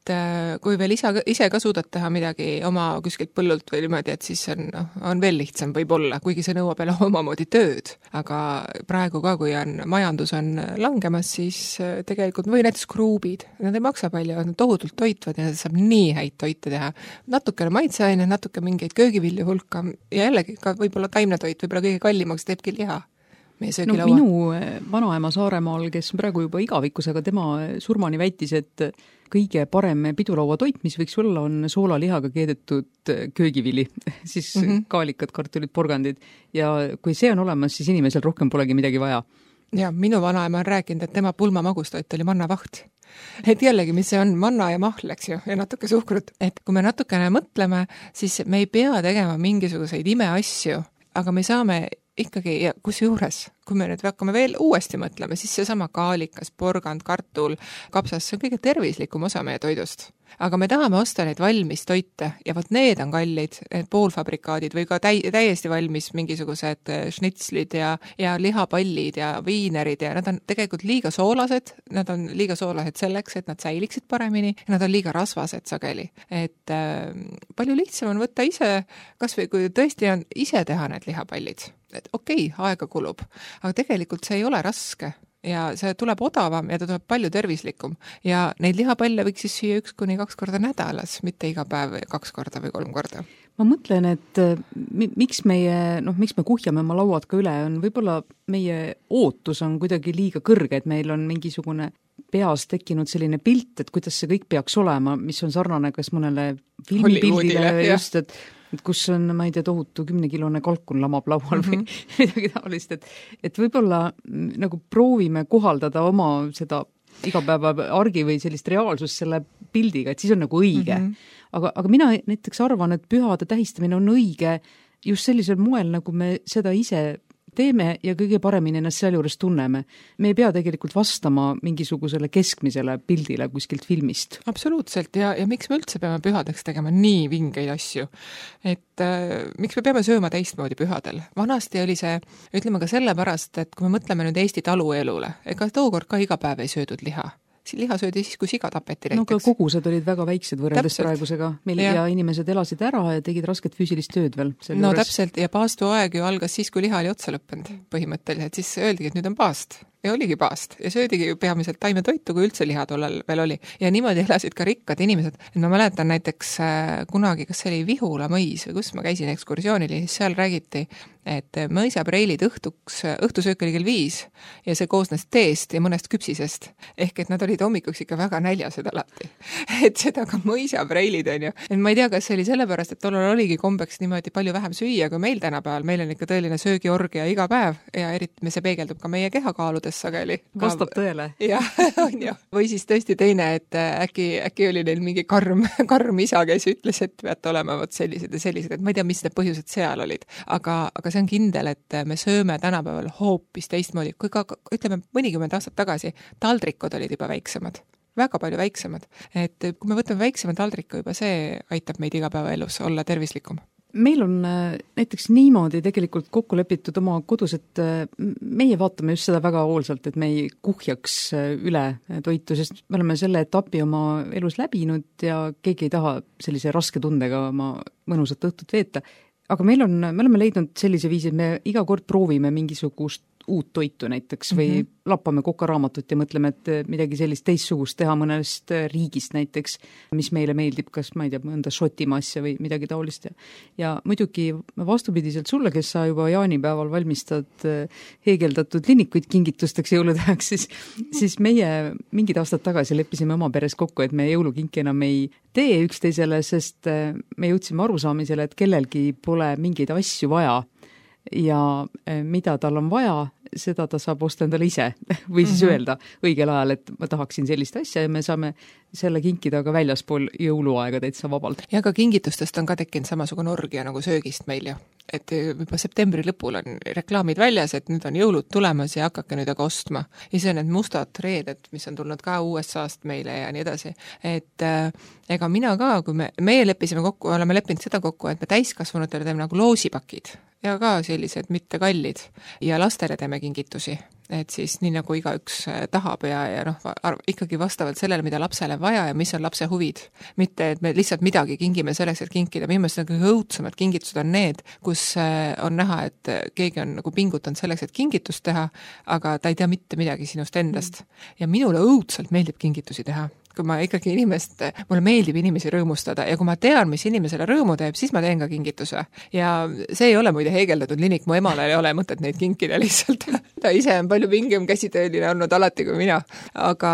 kui veel ise ka suudad teha midagi oma kuskilt põllult või niimoodi, et siis on veel lihtsam võib-olla, kuigi see nõuab jälle omamoodi tööd. Aga praegu ka, kui majandus on langemas, siis tegelikult või näiteks kruubid, nad ei maksa palju, nad tohutult toitvad ja saab nii häid toite teha. Natukene maitseaine, natuke mingeid köögivilju hulka ja jällegi ka võib-olla taimne toit, võib-olla kõige kallimaks teebki liha. Minu vanaema Saaremaal, kes praegu juba igavikkusega, tema surmani väitis, et kõige parem pidulaua toit, mis võiks olla, on soolalihaga keedetud köögivili, siis kaalikad, kartulid, porgandid. Ja kui see on olemas, siis inimesel rohkem polegi midagi vaja. Ja minu vanaema on rääkinud, et tema pulmamagustoit oli mannavaht. Et jällegi, mis see on, manna ja mahl, eks ju, ja natuke suhkrut. Et kui me natukene mõtleme, siis me ei pea tegema mingisuguseid imeasju, aga me saame ikkagi, ja kusjuures, kui me nüüd hakkame veel uuesti mõtlema, siis see sama kaalikas, porgand, kartul, kapsas, see on kõige tervislikum osa meie toidust. Aga me tahame osta neid valmis toite ja vot need on kallid, need poolfabrikaadid või ka täiesti valmis mingisugused schnitslid ja lihapallid ja viinerid ja nad on tegelikult liiga soolased, nad on liiga soolased selleks, et nad säiliksid paremini ja nad on liiga rasvased sageli. Et palju lihtsam on võtta ise, kas või kui tõesti on ise teha need lihapallid, et okei, aega kulub, aga tegelikult see ei ole raske. Ja see tuleb odavam ja ta tuleb palju tervislikum. Ja neid lihapalle võiks siis süüa 1-2 korda nädalas, mitte iga päev 2 korda või 3 korda. Ma mõtlen, et miks me kuhjame oma lauad ka üle, on võib-olla meie ootus on kuidagi liiga kõrge, et meil on mingisugune peas tekkinud selline pilt, et kuidas see kõik peaks olema, mis on sarnane kas mõnele filmipildile just, et kus on, ma ei tea, tohutu 10-kilone kalkun lamab laual või midagi taolist, et võib-olla nagu proovime kohaldada oma seda igapäeva argi või sellist reaalsust selle pildiga, et siis on nagu õige. Aga mina näiteks arvan, et pühade tähistamine on õige just sellisel moel, nagu me seda ise teeme ja kõige paremini ennast seal juures tunneme. Me ei pea tegelikult vastama mingisugusele keskmisele pildile kuskilt filmist. Absoluutselt ja miks me üldse peame pühadeks tegema nii vingeid asju? Et miks me peame sööma teistmoodi pühadel? Vanasti oli see, ütleme ka sellepärast, et kui me mõtleme nüüd Eesti taluelule, ega tookord ka iga päev ei söödud liha. Liha söödi siis, kui siga tapeti näiteks. No ka kogused olid väga väiksed võrreldes praegusega, ja inimesed elasid ära ja tegid rasket füüsilist tööd veel. Täpselt, ja paastuaeg ju algas siis, kui liha oli otsa lõppenud põhimõtteliselt, siis öeldigi, et nüüd on paast. ja oligi paast ja söödigi peamiselt taimetoitu, kui üldse liha tollal veel oli. Ja niimoodi elasid ka rikkad inimesed. Et ma mäletan näiteks kunagi, kas see oli Vihula mõis või kus ma käisin ekskursioonil ja siis seal räägiti, et mõisapreilid õhtusöök oli kell 5 ja see koosnes teest ja mõnest küpsisest. Ehk et nad olid hommikuks ikka väga näljased alati. Et seda ka mõisapreilid on ju. Et ma ei tea, kas see oli sellepärast, et tollal oligi kombeks niimoodi palju vähem süüa kui meil tänapäeval. Meil on ikka tõeline söögiorgia iga päev ja eriti see peegeldub ka meie kehakaaludes sageli. Vastab tõele. Jah, on ju. Või siis tõesti teine, et äkki oli neil mingi karm isa, kes ütles, et peate olema vot sellised ja sellised, et ma ei tea, mis need põhjused seal olid. Aga see on kindel, et me sööme tänapäeval hoopis teistmoodi. Kui ka, ütleme, mõnikümmend aastat tagasi taldrikud olid juba väiksemad. Väga palju väiksemad. Et kui me võtame väiksema taldriku, juba see aitab meid igapäevaelus olla tervislikum. Meil on näiteks niimoodi tegelikult kokku lepitud oma kodus, et meie vaatame just seda väga hoolsalt, et me ei kuhjaks üle toitu, sest me oleme selle etapi oma elus läbinud ja keegi ei taha sellise raske tundega oma mõnusat õhtut veeta. Aga me oleme leidnud sellise viisi, et me iga kord proovime mingisugust uut toitu näiteks või lappame kokaraamatut ja mõtleme, et midagi sellist teistsugust teha mõnest riigist näiteks, mis meile meeldib, kas ma ei tea, mõnda Šotimaa asja või midagi taolist. Ja muidugi vastupidiselt sulle, kes sa juba jaanipäeval valmistad heegeldatud linnikuid kingitusteks jõulutäheks, siis meie mingid aastad tagasi leppisime oma peres kokku, et me jõulukinki enam ei tee üksteisele, sest me jõudsime arusaamisele, et kellelgi pole mingeid asju vaja ja mida tal on vaja, seda ta saab osta endale ise või siis öelda õigel ajal, et ma tahaksin sellist asja ja me saame selle kinkida ka väljaspool jõuluaega täitsa vabalt. Ja ka kingitustest on ka tekkinud samasugune orgia nagu söögist meil ju. Et juba septembri lõpul on reklaamid väljas, et nüüd on jõulud tulemas ja hakake nüüd aga ostma. Ja see on need mustad reeded, mis on tulnud ka USA-st meile ja nii edasi. Et ega mina ka, kui meie leppisime kokku, oleme leppinud seda kokku, et me täiskasvanutele teeme nagu loosipakid ja ka sellised mitte kallid ja lastele teeme kingitusi. Et siis nii nagu igaüks tahab ja ikkagi vastavalt sellele, mida lapsele vaja ja mis on lapse huvid. Mitte, et me lihtsalt midagi kingime selleks, et kinkida. Minu meelest kõige õudsemad kingitused on need, kus on näha, et keegi on nagu pingutanud selleks, et kingitust teha, aga ta ei tea mitte midagi sinust endast. Ja minule õudselt meeldib kingitusi teha. Kui ma ikkagi mulle meeldib inimesi rõõmustada ja kui ma tean, mis inimesele rõõmu teeb, siis ma teen ka kingituse. Ja see ei ole muide heegeldatud linik, mu emale ei ole mõtet neid kinkida lihtsalt. Ta ise on palju pingem käsitööline olnud alati kui mina. Aga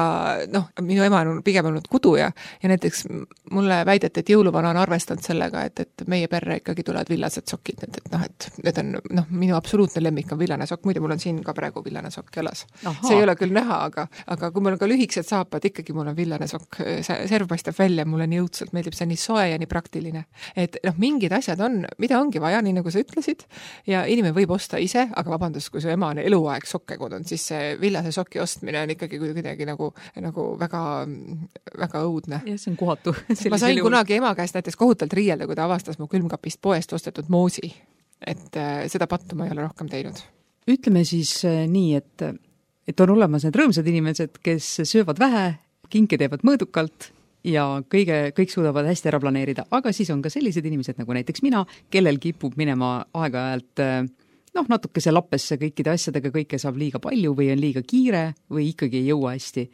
minu ema on pigem olnud kuduja ja näiteks mulle väideti, et jõuluvana on arvestanud sellega, et meie perre ikkagi tulevad villased sokid. Et need on minu absoluutne lemmik on villane sokk. Muide, mul on siin ka praegu villane sokk jalas. See ei ole küll näha, aga kui mul on ka lühikesed saapad, ikkagi mul on villane sokk, serv paistab välja, mulle nii õudselt meeldib, see on nii soe ja nii praktiline. Et mingid asjad on, mida ongi vaja, nii nagu sa ütlesid, ja inimene võib osta ise, aga vabandust, kui su ema on eluaeg sokke kodunud, siis see villase soki ostmine on ikkagi kuidagi nagu väga, väga õudne. Ja see on kohatu. Ma sain kunagi ema käest näiteks kohutalt riielda, kui ta avastas mu külmkapist poest ostetud moosi. Et seda pattu ma ei ole rohkem teinud. Ütleme siis nii, et on olemas need rõõmsad inimesed, kes söövad vähe, kinke teevad mõõdukalt ja kõik suudavad hästi ära planeerida. Aga siis on ka sellised inimesed nagu näiteks mina, kellel kipub minema aeg-ajalt natukese lappesse kõikide asjadega, kõike saab liiga palju või on liiga kiire või ikkagi ei jõua hästi.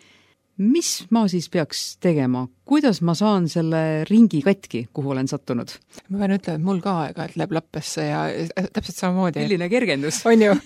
Mis ma siis peaks tegema? Kuidas ma saan selle ringi katki, kuhu olen sattunud? Ma pean ütlema, et mul ka aega, et läheb lappesse ja täpselt samamoodi. Milline kergendus. On ju,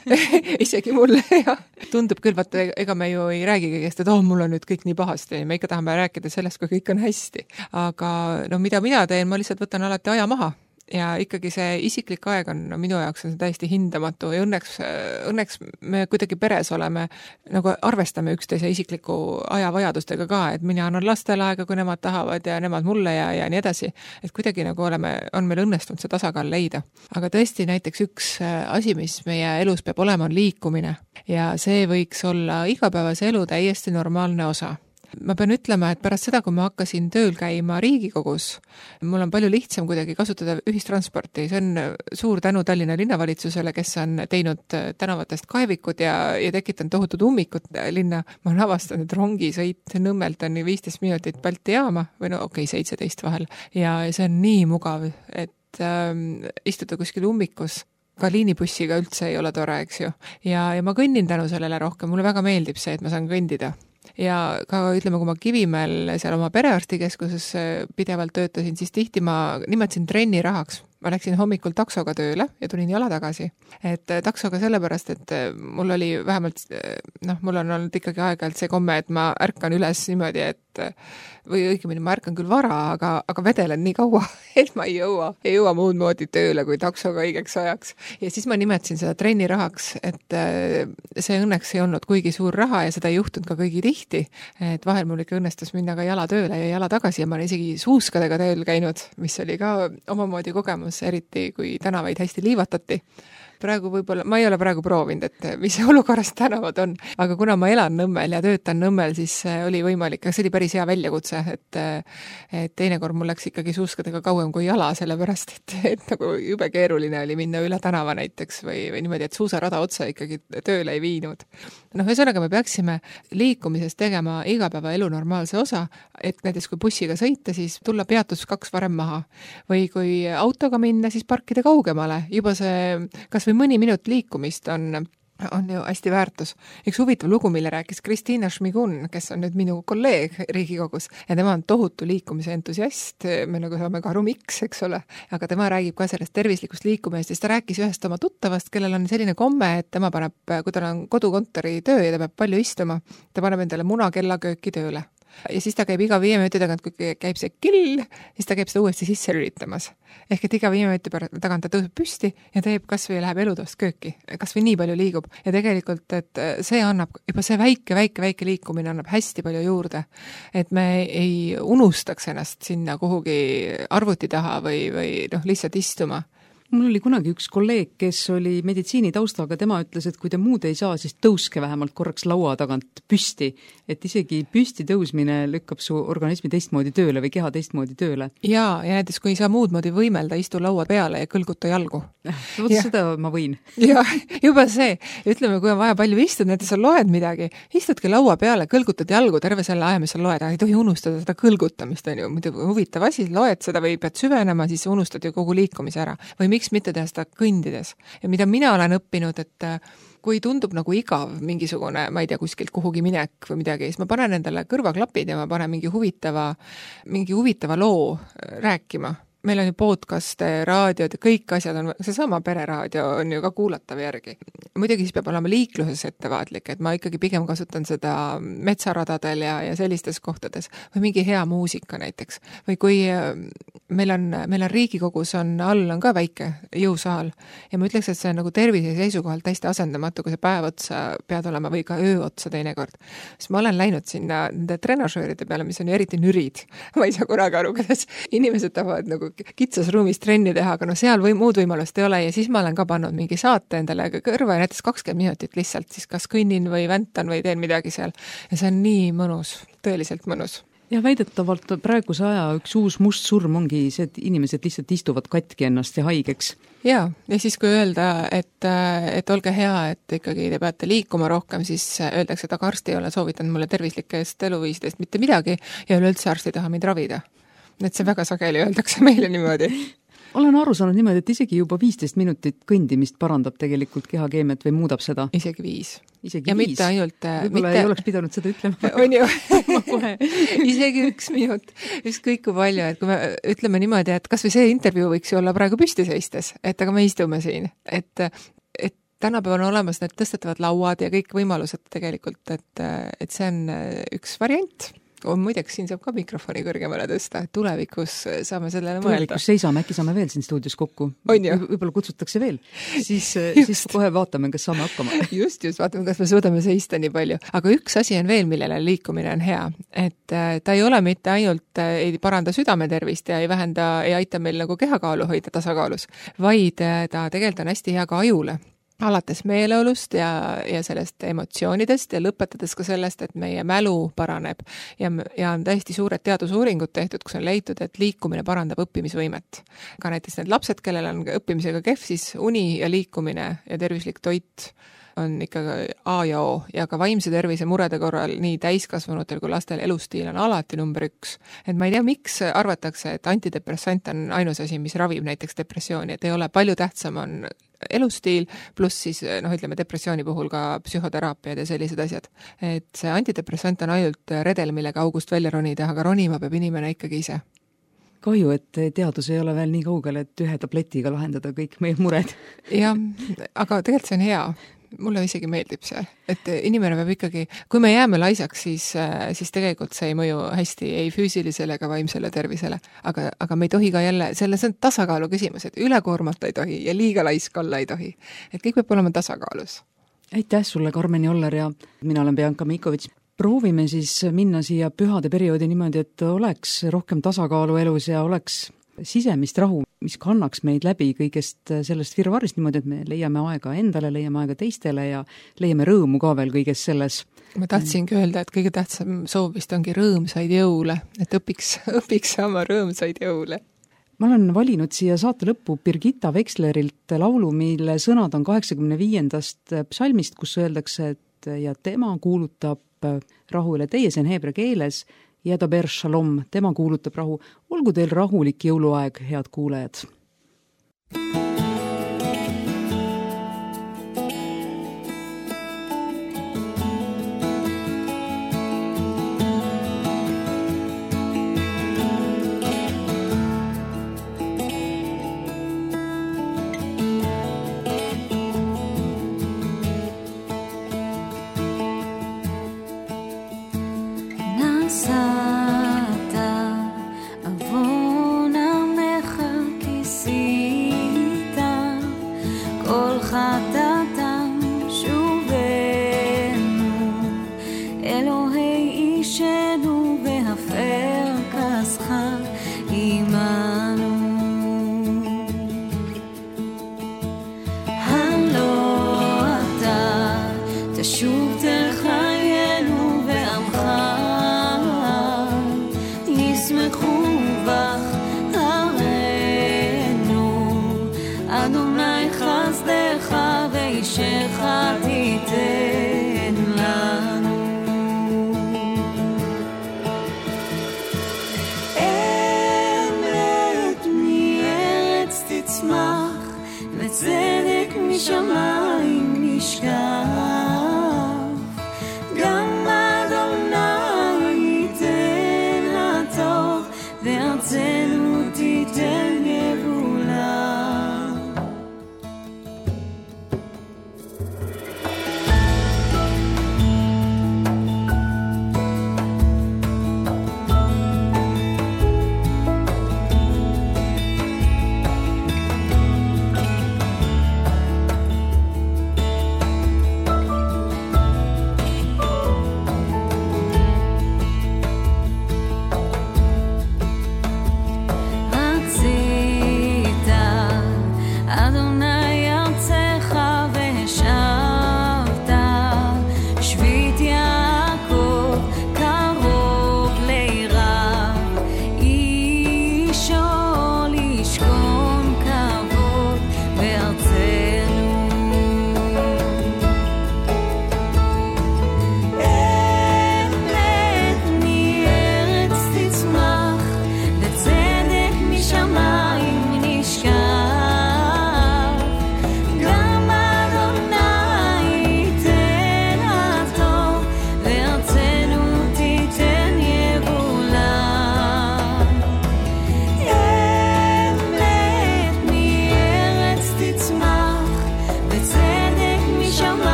isegi mulle. Ja. Tundub küll, vaata, ega me ju ei räägi kõigest, et mul on nüüd kõik nii pahasti. Me ikka tahame rääkida sellest, kui kõik on hästi. Aga mida mina teen, ma lihtsalt võtan alati aja maha. Ja ikkagi see isiklik aeg on minu jaoks on täiesti hindamatu ja õnneks me kuidagi peres oleme, nagu arvestame üksteise isikliku ajavajadustega ka, et mina annan lastele aega, kui nemad tahavad ja nemad mulle ja nii edasi. Et kuidagi nagu on meil õnnestunud see tasakaal leida. Aga tõesti näiteks üks asi, mis meie elus peab olema, on liikumine ja see võiks olla igapäevase elu täiesti normaalne osa. Ma pean ütlema, et pärast seda, kui ma hakkasin tööl käima Riigikogus, mul on palju lihtsam kuidagi kasutada ühistransporti. See on suur tänu Tallinna linnavalitsusele, kes on teinud tänavatest kaevikud ja tekitanud tohutud ummikut linna. Ma olen avastanud, et rongisõit Nõmmelt on 15 minutit Balti jaama või 17 vahel ja see on nii mugav, et istuda kuskil ummikus, ka liinibussiga üldse ei ole tore, eks ju. Ja ma kõnnin tänu sellele rohkem, mulle väga meeldib see, et ma saan kõndida. Ja ka ütleme, kui ma Kivimäel seal oma perearstikeskuses pidevalt töötasin, siis tihti ma nimetasin trenni rahaks. Ma läksin hommikul taksoga tööle ja tulin jala tagasi. Et taksoga sellepärast, et mul oli vähemalt, mul on olnud ikkagi aeg-ajalt see komme, et ma ärkan üles niimoodi, või õigemini ma ärkan küll vara, aga vedelen nii kaua, et ma ei jõua muud moodi tööle kui taksoga õigeks ajaks. Ja siis ma nimetasin seda trenni rahaks, et see õnneks ei olnud kuigi suur raha ja seda ei juhtunud ka kõigi tihti. Et vahel mul ikka õnnestus minna ka jala tööle ja jala tagasi ja ma olen isegi suuskadega tööl käinud, mis oli ka omamoodi kogemus, eriti kui tänavaid hästi liivatati. Praegu võib-olla, ma ei ole praegu proovinud, et mis olukorras tänavad on, aga kuna ma elan Nõmmel ja töötan Nõmmel, siis oli võimalik, see oli päris hea väljakutse, et teinekord mul läks ikkagi suuskadega kauem kui jala, sellepärast, et nagu jube keeruline oli minna üle tänava näiteks või niimoodi, et suusarada otsa ikkagi tööle ei viinud. Ühesõnaga me peaksime liikumisest tegema igapäevaelu normaalse osa, et näiteks kui bussiga sõita, siis tulla peatus 2 varem maha. Või kui autoga minna, siis parkida kaugemale. Juba see, kas või mõni minut liikumist on ju hästi väärtus. Üks huvitav lugu, mille rääkis Kristiina Šmigun, kes on nüüd minu kolleeg Riigikogus ja tema on tohutu liikumise entusiast, me nagu saame ka aru miks, eks ole, aga tema räägib ka sellest tervislikust liikumist ja siis ta rääkis ühest oma tuttavast, kellel on selline komme, et tema paneb, kui tal on kodukontori töö ja ta peab palju istuma, ta paneb endale munakellakööki tööle. Ja siis ta käib iga 5 minuti tagant, kui käib see kill, siis ta käib seda uuesti sisse lülitamas. Ehk et iga 5 minuti tagant ta tõuseb püsti ja teeb kas või läheb elutoast kööki, kas või nii palju liigub. Ja tegelikult, et see annab, juba see väike liikumine annab hästi palju juurde. Et me ei unustaks ennast sinna kuhugi arvuti taha või lihtsalt istuma. Mul oli kunagi üks kolleeg, kes oli meditsiinitaustaga, tema ütles, et kui te muud ei saa, siis tõuske vähemalt korraks laua tagant püsti, et isegi püsti tõusmine lükkab su organismi teistmoodi tööle või keha teistmoodi tööle. Ja näiteks kui ei saa muud moodi võimelda, istu laua peale ja kõlguta jalgu. Seda ma võin. Ja juba see, ütleme, kui on vaja palju istud, näiteks sa loed midagi, istudki laua peale, kõlgutad jalgu terve selle aja, mis sa loed, ei tohi unustada seda kõlgutamist, on ju, muidu huvitav asi, loed seda või pead süvenema, siis unustad ju kogu liikumise ära. Või miks mitte teha seda kõndides. Ja mida mina olen õppinud, et kui tundub nagu igav mingisugune, ma ei tea, kuskilt kuhugi minek või midagi, siis ma panen endale kõrvaklapid ja ma panen mingi huvitava loo rääkima. Meil on ju podcast, raadiod ja kõik asjad on, seesama pereraadio on ju ka kuulatav järgi. Muidugi siis peab olema liikluses ettevaatlik, et ma ikkagi pigem kasutan seda metsaradadel ja sellistes kohtades või mingi hea muusika näiteks. Või kui meil on Riigikogus on ka väike jõusaal ja ma ütleks, et see on nagu tervise seisukohalt hästi asendamatu, kui see päev otsa pead olema või ka öö otsa teinekord. Siis ma olen läinud sinna nende trenažööride peale, mis on ju eriti nürid. Ma ei saa korraga aru, kuidas inimesed tahavad nagu kitsas ruumis trenni teha, aga seal muud võimalust ei ole ja siis ma olen ka pannud mingi saate endale kõrva ja näiteks 20 minutit lihtsalt siis kas kõnnin või väntan või teen midagi seal. Ja see on nii mõnus, tõeliselt mõnus. Ja väidetavalt praeguse aja üks uus must surm ongi see, et inimesed lihtsalt istuvad katki ennast ja haigeks. Ja siis kui öelda, et olge hea, et ikkagi te peate liikuma rohkem, siis öeldakse, et aga arst ei ole soovitanud mulle tervislikest eluviisidest mitte midagi ja üleüldse arst ei taha mind ravida. Et see väga sageli öeldakse meile niimoodi. Olen aru saanud niimoodi, et isegi juba 15 minutit kõndimist parandab tegelikult kehakeemiat või muudab seda. Isegi 5. Isegi 5. Mitte ainult... Võib-olla ei oleks pidanud seda ütlema. On ju. Isegi 1 minut. Ükskõik kui palju, et kui me ütleme niimoodi, et kas või see intervjuu võiks ju olla praegu püsti seistes, et aga me istume siin. Et tänapäeval on olemas need tõstetavad lauad ja kõik võimalused tegelikult, et see on üks variant. Muideks siin saab ka mikrofoni kõrgemale tõsta, et tulevikus saame sellele mõelda. Tulevikus seisame, äkki saame veel siin stuudios kokku. Võib-olla kutsutakse veel. Siis kohe vaatame, kas saame hakkama. Just, vaatame, kas me suudame seista nii palju. Aga üks asi on veel, millele liikumine on hea. Et ta ei ole mitte ainult ei paranda südametervist ja ei vähenda, ei aita meil nagu kehakaalu hoida tasakaalus, vaid ta tegelikult on hästi hea ka ajule. Alates meeleolust ja sellest emotsioonidest ja lõpetades ka sellest, et meie mälu paraneb ja on täiesti suured teadusuuringud tehtud, kus on leitud, et liikumine parandab õppimisvõimet. Ka näiteks need lapsed, kellel on õppimisega kehv, siis uni ja liikumine ja tervislik toit on ikka A ja O ja ka vaimse tervise murede korral nii täiskasvanutel kui lastel elustiil on alati number 1. Et ma ei tea, miks arvatakse, et antidepressant on ainus asi, mis ravib näiteks depressiooni, et ei ole palju tähtsam on elustiil, pluss siis ütleme depressiooni puhul ka psühhoteraapiad ja sellised asjad. Et see antidepressant on ainult redel, millega august välja ronida, aga ronima peab inimene ikkagi ise. Kahju, et teadus ei ole veel nii kaugel, et ühe tabletiga lahendada kõik meie mured. Jah, aga tegelikult see on hea. Mulle isegi meeldib see, et inimene peab ikkagi, kui me jääme laisaks, siis tegelikult see ei mõju hästi ei füüsilisele ega vaimsele tervisele. Aga me ei tohi ka jälle, see on tasakaalu küsimus, et ülekoormata ei tohi ja liiga laisk olla ei tohi. Et kõik peab olema tasakaalus. Aitäh sulle, Karmen Joller, ja mina olen Bianca Mikovits. Proovime siis minna siia pühade perioodi niimoodi, et oleks rohkem tasakaalu elus ja oleks sisemist rahu, mis kannaks meid läbi kõigest sellest virvarist niimoodi, et me leiame aega endale, leiame aega teistele ja leiame rõõmu ka veel kõiges selles. Ma tahtsingi öelda, et kõige tähtsam soov vist ongi rõõmsaid jõule, et õpiks saama rõõmsaid jõule. Ma olen valinud siia saate lõppu Birgitta Wexlerilt laulu, mille sõnad on 85. psalmist, kus öeldakse, et ja tema kuulutab rahu üle teie, see on heebra keeles, Jedaber Shalom, tema kuulutab rahu. Olgu teil rahulik jõuluaeg, head kuulajad!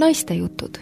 naiste jutud